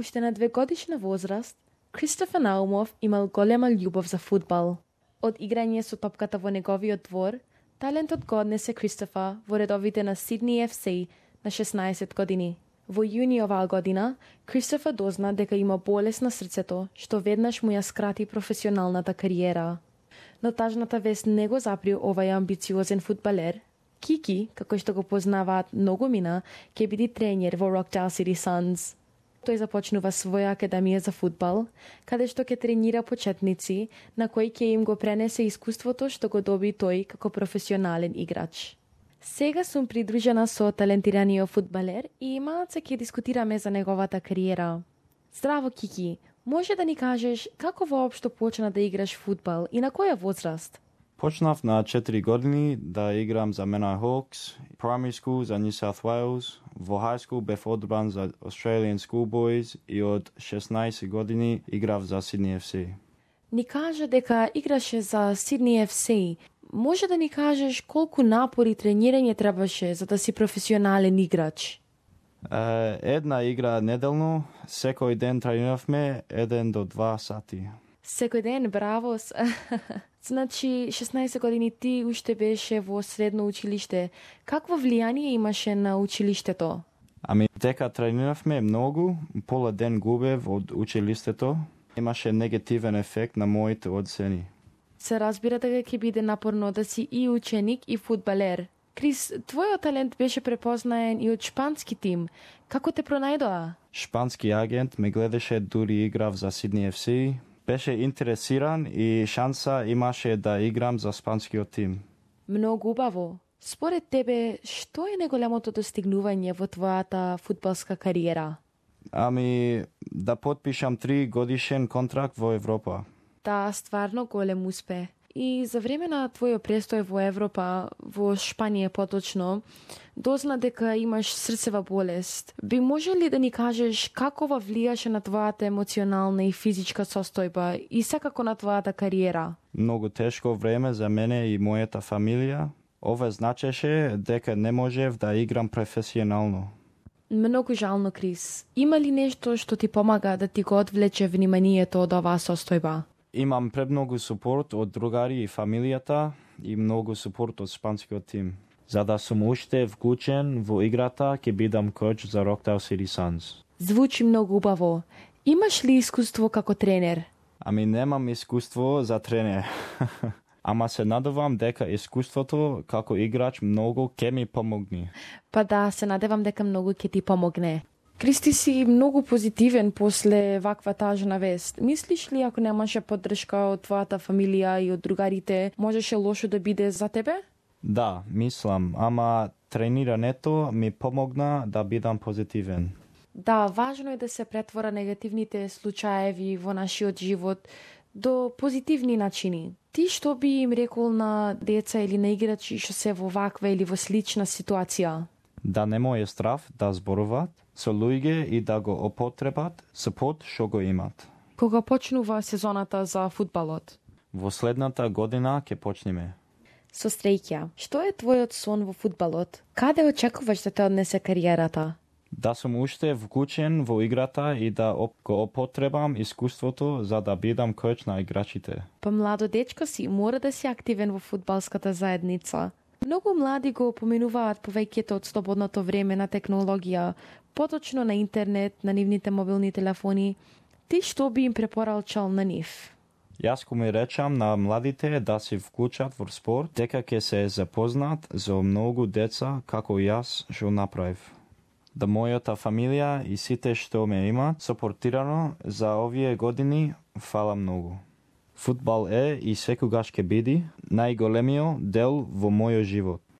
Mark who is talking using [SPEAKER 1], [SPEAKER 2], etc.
[SPEAKER 1] Уште на 2-годишна возраст, Кристофер Наумов имал голема љубов за фудбал. Од играње со топката во неговиот двор, талентот го однесе Кристофер во редовите на Сидни FC на 16 години. Во јуни оваа година, Кристофер дозна дека има болест на срцето, што веднаш му ја скрати професионалната кариера. Но тажната вест не го запри овај амбициозен фудбалер. Кики, како што го познаваат многу мина, ќе биде тренер во Rockdale City Suns. Тој започнува своја академија за фудбал, каде што ќе тренира почетници, на кои ќе им го пренесе искуството што го доби тој како професионален играч. Сега сум придружена со талентираниот фудбалер и имаат ќе дискутираме за неговата кариера. Здраво, Кики, може да ни кажеш како воопшто почна да играш фудбал и на која возраст?
[SPEAKER 2] Почнав на 4 години да играм за Menai Hawks, primary school за New South Wales, во high school бев одбран за Australian Schoolboys и од 16 години играв за Sydney FC.
[SPEAKER 1] Ни кажа дека играше за Sydney FC. Може да ни кажеш колку напори тренирање требаше за да си професионален играч?
[SPEAKER 2] Една игра неделно, секој ден трениравме 1 до 2 сати.
[SPEAKER 1] Секој ден, браво. Значи, 16 години ти уште беше во средно училиште. Какво влијание имаше на училиштето?
[SPEAKER 2] Дека трениравме многу, пола ден губев од училиштето, имаше негативен ефект на моите оцени.
[SPEAKER 1] Се разбира дека ќе биде напорно да си и ученик и фудбалер. Крис, твојот талент беше препознаен и од шпански тим. Како те пронајдоа?
[SPEAKER 2] Шпански агент ме гледаше дури играв за Sydney FC. Беше интересиран и шанса имаше да играм за шпанскиот тим.
[SPEAKER 1] Многу убаво. Според тебе, што е најголемото достигнување во твојата фудбалска кариера?
[SPEAKER 2] Да потпишам 3 годишен контракт во Европа.
[SPEAKER 1] Да, стварно голем успех. И за време на твојот престој во Европа, во Шпанија поточно, дозна дека имаш срцева болест. Би може ли да ни кажеш како ова влијаше на твојата емоционална и физичка состојба и секако на твојата кариера?
[SPEAKER 2] Многу тешко време за мене и мојата фамилија. Ова значеше дека не можев да играм професионално.
[SPEAKER 1] Многу жално, Крис. Има ли нешто што ти помага да ти го одвлече вниманието од оваа состојба?
[SPEAKER 2] Имам премногу супорт од другари и фамилијата и многу супорт од шпанскиот тим. За да сум уште вклучен во играта, ќе бидам коч за Rockdale City Suns.
[SPEAKER 1] Звучи многу убаво. Имаш ли искуство како тренер?
[SPEAKER 2] Немам искуство за тренер. Ама се надевам дека искуството како играч многу ќе ми помогне.
[SPEAKER 1] Па да, се надевам дека многу ќе ти помогне. Кристи, си многу позитивен после ваква тажна вест. Мислиш ли ако немаше поддршка од твојата фамилија и од другарите, можеше лошо да биде за тебе?
[SPEAKER 2] Да, мислам, ама тренирането ми помогна да бидам позитивен.
[SPEAKER 1] Да, важно е да се претвора негативните случаеви во нашиот живот до позитивни начини. Ти што би им рекол на деца или на играчи што се во ваква или во слична ситуација?
[SPEAKER 2] Да нема е страв да зборуваат со луѓе и да го употребат супорт што го имат.
[SPEAKER 1] Кога почнува сезоната за фудбалот?
[SPEAKER 2] Во следната година ќе почнеме.
[SPEAKER 1] Со стреќа, што е твојот сон во фудбалот? Каде очекуваш да те однесе кариерата?
[SPEAKER 2] Да сум уште вклучен во играта и да го употребам искуството за да бидам коч на играчите.
[SPEAKER 1] Па младо дечко си, мора да си активен во фудбалската заедница. Многу млади го поминуваат повеќето од слободното време на технологија, поточно на интернет, на нивните мобилни телефони. Ти што би им препорачал на нив?
[SPEAKER 2] Јас го ми речам на младите да се вклучат во спорт, дека ќе се запознат за многу деца како јас што направив. Да мојата фамилија и сите што ме имат сопортирано за овие години, фала многу. Фудбал е и секогаш ќе биде најголемиот дел во мојот живот.